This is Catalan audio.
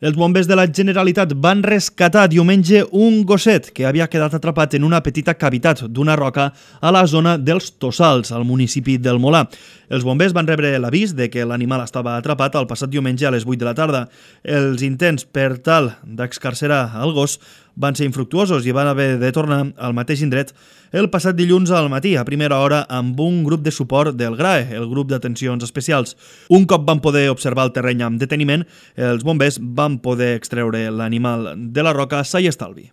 Els bombers de la Generalitat van rescatar diumenge un gosset que havia quedat atrapat en una petita cavitat d'una roca a la zona dels Tossals, al municipi del Molar. Els bombers van rebre l'avís de que l'animal estava atrapat el passat diumenge a les 8 de la tarda. Els intents per tal d'excarcerar el gos van ser infructuosos i van haver de tornar al mateix indret el passat dilluns al matí, a primera hora, amb un grup de suport del GRAE, el grup d'atencions especials. Un cop van poder observar el terreny amb deteniment, els bombers van poder extreure l'animal de la roca sa i estalvi.